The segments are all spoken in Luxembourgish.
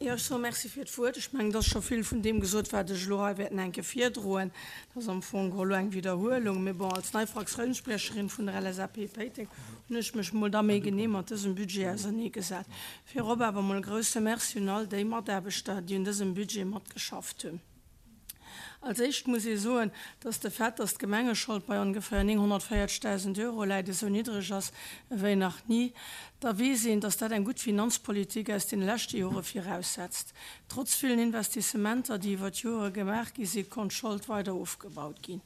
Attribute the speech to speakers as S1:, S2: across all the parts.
S1: Jo, ech soe Merci fir d'Wuert. Ech mengen, et ass scho vill vun deem gesot, wat ech elo hei wäert nach eng Kéier virdroen. Dat ass am Fong geholl elo eng Widderhuelung. Mee bon, als nei Fraktiounsspriecherin vun der LSAP Péiteng hunn ech mech mol da méi genee mat dësem Budget auserneegesat. Virop awer mol e grouse Merci un all déi Mataarbechter, déi un dësem Budget matgeschafft hunn. Als éischt muss ee soen, dass de Fait, dass d'Gemengeschold bei ongeféier 940.000 Euro läit, esou niddreg ass ewéi nach ni. Da weess een, dass dat eng gutt Finanzpolitik aus deene leschte Jore viraussetzt. Trotz villen Investissementer, déi iwwer d'Jore gemaach gi sinn, konnt d'Schold weider ofgebaut ginn.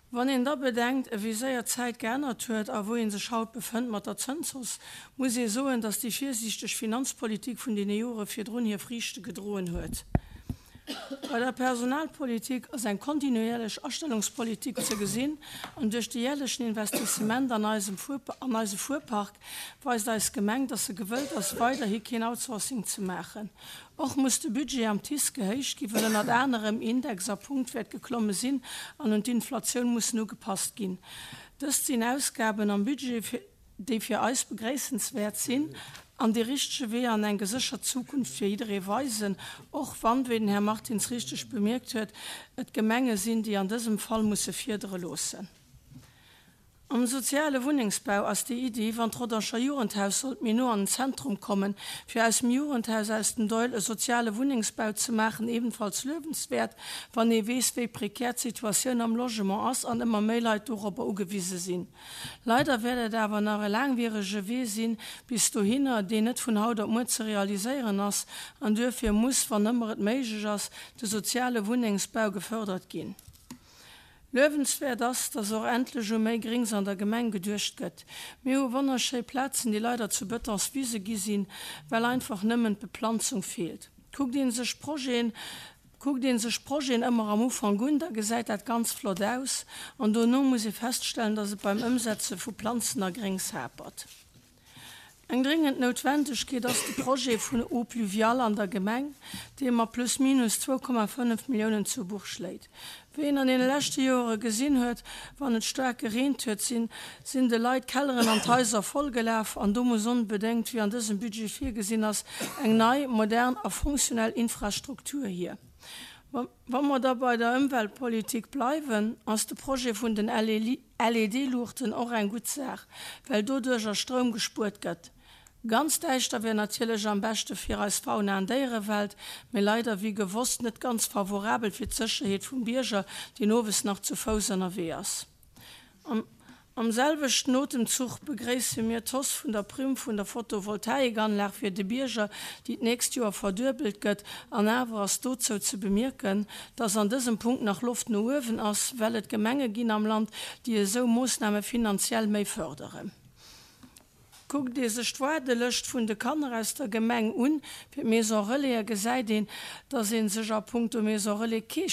S1: Wann een da bedenkt, ewéi séier d'Zäit geännert huet a wou ee sech haut befënnt mat der Zënshausse, muss ee soen, dass déi virsiichteg Finanzpolitik vun deene Jore virdrun hir Friichte gedroen huet. Bei der Personalpolitik ass eng kontinuierlech Astellungspolitik ze gesinn an duerch de jährlechen Investissement an eisem an eise Fuerpark weist eis Gemeng, dass se gewëllt ass, weiderhi keen Outsourcing ze maachen. Och muss de Budget am TICE gehéicht ginn, well ënnert anerem Index a Punktwäert geklomme sinn an un d'Inflatioun mussen ugepasst ginn. Dëst sinn Ausgaben am Budget, déi fir eis begréissenswäert sinn an dee richtege Wee an eng geséchert Zukunft fir jidderee weisen, och wann, wéi den Här Martins richteg bemierkt huet, et d'Gemenge sinn, déi an dësem Fall musse fiedere loossen. Am soziale Wunnengsbau ass déi Iddi, wann d'Rodanger Jugendhaus sollt méi no an den Zentrum kommen, fir aus dem Jugendhaus aus dem Doihl e soziale Wunnengsbau ze maachen, ebenfalls luewenswäert, wann ee weess, wéi prekär d'Situatioun am Logement ass an ëmmer méi Leit dorobber ugewise sinn. Leider wäert et awer nach e laangwierege Wee sinn bis dohinner, deen net vun haut op muer ze realiséieren ass, an duerfir muss, wann ëmmer et méiglech ass, de soziale Wunnengsbau gefördert ginn. Luewenswäert ass, dass och endlech u méi Grings an der Gemeng geduecht gëtt. Mir hu wonnerschéi Plazen, déi leider zu Betonswise gi sinn, well einfach nëmmen d'Beplanzung feelt. Kuckt ee sech d'Projeten, kuckt ee sech d'Projeten ëmmer am Ufank un, da gesäit dat ganz flott aus, an dono muss ee feststellen, dass et beim Ëmsetze vu Planzen a Gréngs hapert. Eng dréngend Noutwendegkeet ass de Projet vun Eau pluviale an der Gemeng, dee mat plus minus 2,5 Milliounen zu Buch schléit. Wéi een an deene leschte Joere gesinn huet, wann et staark gereent huet, sinn sinn de Leit d'Kelleren an d'Haiser vollgelaf an do muss onbedéngt, wéi an dësem Budget virgesinn ass, eng nei, modern a funktionell Infrastruktur hier. Wa mer da bei der Ëmweltpolitik bleiwen, ass de Projet vun den LED-Luuchten och eng gutt Saach, well doduercher Stroum gespuert gëtt. Ganz däischter wär natierlech am beschte fir eis Fauna an Déierewelt, mee leider wéi gewosst net ganz favorabel fir d'Sécherheet vum Bierger, deen owes nach zu Fouss ënnerwee ass. Am selwechten Otemzuch begréisse mir d'Hausse vun der Primm vun der Photovoltaikanlag fir de Bierger, déi d'nächst Joer verduebelt gëtt. An awer ass dozou ze bemierken, dass an dësem Punkt nach Loft no uewen ass, well et Gemenge ginn am Land, déi esou Moossname finanziell méi fërderen. Kuckt ee sech d'Waardelëscht vun de Kanner aus der Gemeng un fir d'Maison Relaisen, gesäit een, dass ee sech a punkto Maison Relais kee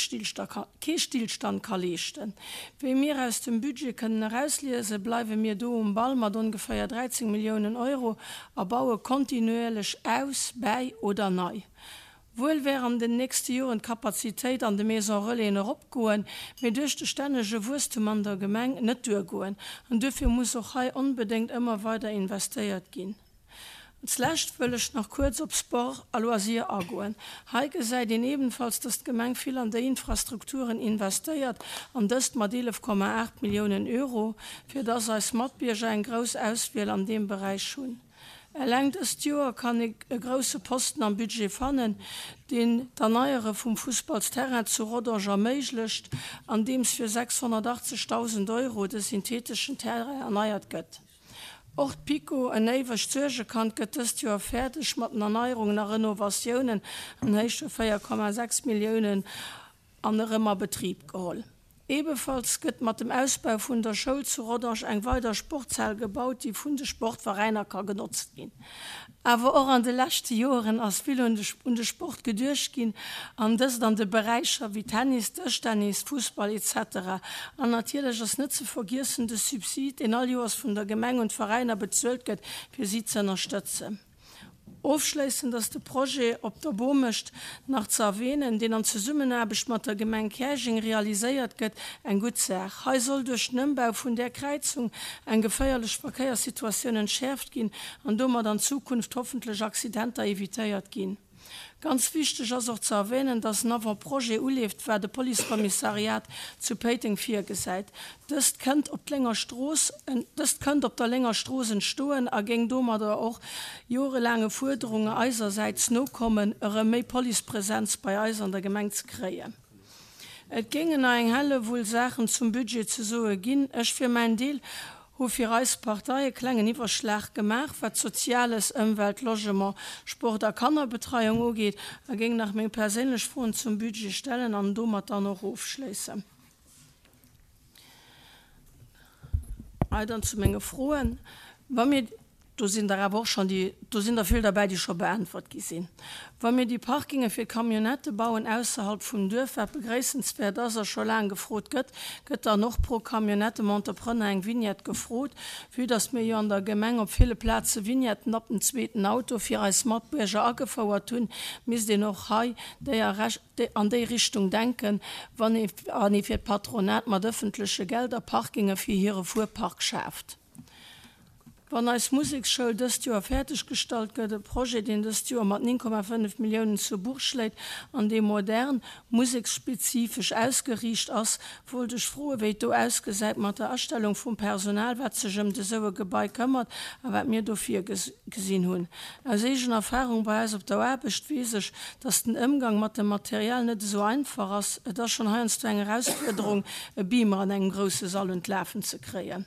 S1: Stillstand ka leeschten. Wéi mir aus dem Budget kënnen erausliesen, bleiwe mir do um Ball mat ongeféier 13 Milliounen Euro a baue kontinuierlech aus, bäi oder nei. Wuel wär an den nächste Joren d'Kapazitéit an de Maison Relaisen eropgoen, mee duerch de stännege Wuesstum an der Gemeng net duergoen. An duerfir muss och hei onbedéngt ëmmer weider investéiert ginn. Als lescht wëll ech nach kuerz op Sport a Loisirs agoen. Hei gesäit een ebenfalls, dass d'Gemeng vill an déi Infrastrukturen investéiert, an dëst mat 11,8 Milliounen Euro, fir dass eis Matbierger eng grouss Auswiel an deem Beräich hunn. Eleng dëst Joer kann ee e grousse Posten am Budget fannen, deen d'Erneiere vum Fussballsterrain zu Rodange erméiglecht, andeems fir 680.000 Euro de syntheteschen Terrain erneiert gëtt. Och d'PiKo, en éiwegt Suergekand, gëtt dëst Joer fäerdeg mat den Erneierungen a Renovatiounen an Héicht vu 4,6 Milliounen an erëm a Betrib geholl. Ebefalls gëtt mat dem Ausbau vun der Schoul zu Rodange eng weider Sportshal gebaut, déi vun de Sportveräiner ka genotzt ginn. Awer och an de leschte Joeren ass vill un de Sport geduecht ginn, an dëst an de Beräicher wéi Tennis, Dëschtennis, Fussball etc. An natierlech ass net ze vergiessen de Subsid, deen all Joers vun der Gemeng un d'Veräiner bezuelt gëtt, fir si ze ënnerstëtzen. Ofschléissend ass de Projet op der Bomecht nach ze erwähnen, deen an Zesummenaarbecht mat der Gemeng Käerjeng realiséiert gëtt, eng gutt Saach. Hei soll duerch den Ëmbau vun där Kräizung eng geféierlech Verkéierssituatioun entschäerft ginn an domat an Zukunft hoffentlech Accidenter evitéiert ginn. Ganz wichteg ass och ze erwähnen, dass en Avant-projet uleeft, wat e Policekommissariat zu Péiteng virgesäit. Dëst kënnt op d'Lénger Strooss, dëst kënnt op der Lénger Strooss entstoen a géing domadder och jorelaange Fuerderunge eisersäits nokommen, erëm méi Policepresenz bei eis an der Gemeng ze kréien. Et géingen nach eng Hellewull Saachen zum Budget ze soe ginn. Ech fir mäin Deel hu fir eis Partei e klengen Iwwerschlag gemaach, wat Soziales, Ëmwelt, Logement, Sport a Kannerbetreiung ugeet, a géing nach meng perséinlech Froen zum Budget stellen an domat dann och ofschléissen. Hei dann zu menge Froen. Wa mir. Do sinn der awer och schonn déi, do sinn der vill derbäi, déi scho beäntwert gi sinn. Wa mir déi Parkinge fir Camionnettë bauen ausserhalb vum Duerf, wat begréissenswäert ass a scho laang gefrot gëtt, gëtt dann och pro Camionnette dem Entrepreneur eng Vignette gefrot. Vue dass mir jo an der Gemeng op ville Plaze Vignetten ab dem zweeten Auto fir eis Matbierger agefouert hunn, misst een och hei déi an déi Richtung denken, wann ee fir d'Patronat mat ëffentleche Gelder Parkinge fir hire Fuerpark schaaft. Wann eis Museksschoul dëst Joer fäerdeg gestallt gëtt, e Projet, deen dëst Joer mat 9,5 Milliounen zu Buch schléit an dee modern, museksspezifesch ausgeriicht ass, wollt ech froen, wéi et do ausgesäit mat der Astellung vum Personal, wat sech ëmt esou e Gebai këmmert a wat mir do virgesinn hunn. Aus eegener Erfahrung bei eis op der Aarbecht weess ech, dass den Ëmgang mat dem Material net esou einfach ass. Et ass schonn heiansdo eng Erausfuerderung, e Beamer an engem grousse Sall un d'Lafen ze kréien.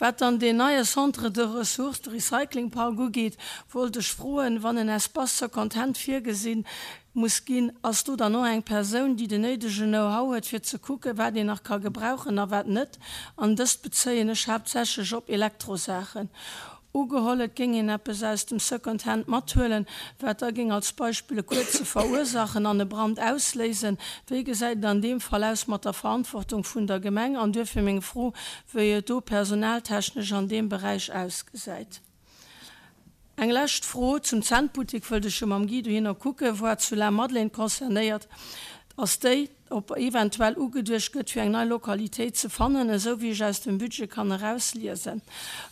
S1: Wat dann deen neie Centre de ressources, de Recyclingpark ugeet, wollt ech froen, wann en Espace Second Hand virgesi muss ginn, ass do dann och eng Persoun, déi den néidegen Know-how huet, fir ze kucken, wat een nach ka gebrauchen a wat net? An dëst bezéien ech haaptsächlech op Elektrosaachen. Ugeholl, et géing een eppes aus dem Second Hand mathuelen, wat da géing als Beispill e kuerze verursachen an e Brand ausléisen. Wéi gesäit et an deem Fall aus mat der Verantwortung vun der Gemeng? An duerfir meng Fro, wéi et do personaltechnesch an deem Beräich ausgesäit. Eng lescht Fro zum Zentbuttek wëllt ech jo mam Guy dohinner kucken, voire zu Lamadelaine concernéiert ass déi, ob eventuell ugeduecht gëtt, fir eng nei Lokalitéit ze fannen. Esou wéi ech aus dem Budget kann erausliesen,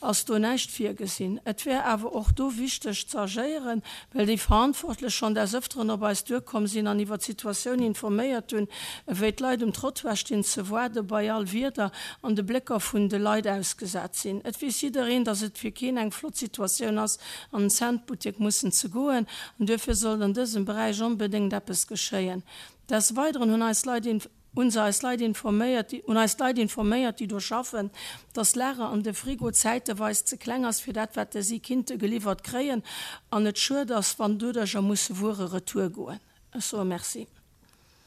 S1: ass do näischt virgesinn. Et wär awer och do wichteg ze agéieren, well déi Verantwortlech schonn des Ëfteren op eis duerkomm sinn an iwwer d'Situatioun informéiert hunn, ewéi d'Leit um Trottoir stinn ze waarde bei all Wieder an de Blécker vun de Leit ausgesat sinn. Et weess jiddereen, datt et fir keen eng flott Situatioun ass, an den Centbuttek mussen ze goen, an duerfir sollt an dësem Beräich onbedéngt eppes geschéien. Des Weideren hunn eis Leit hunn se eis Leit informéiert, hunn eis d'Leit informéiert, déi do schaffen, dass d'Lager an de Frigo zäiteweis ze kleng ass fir dat, wat si kinnte geliwwert kréien an et schued ass, wann doduercher musse Wuere retour goen. Ech soe Merci.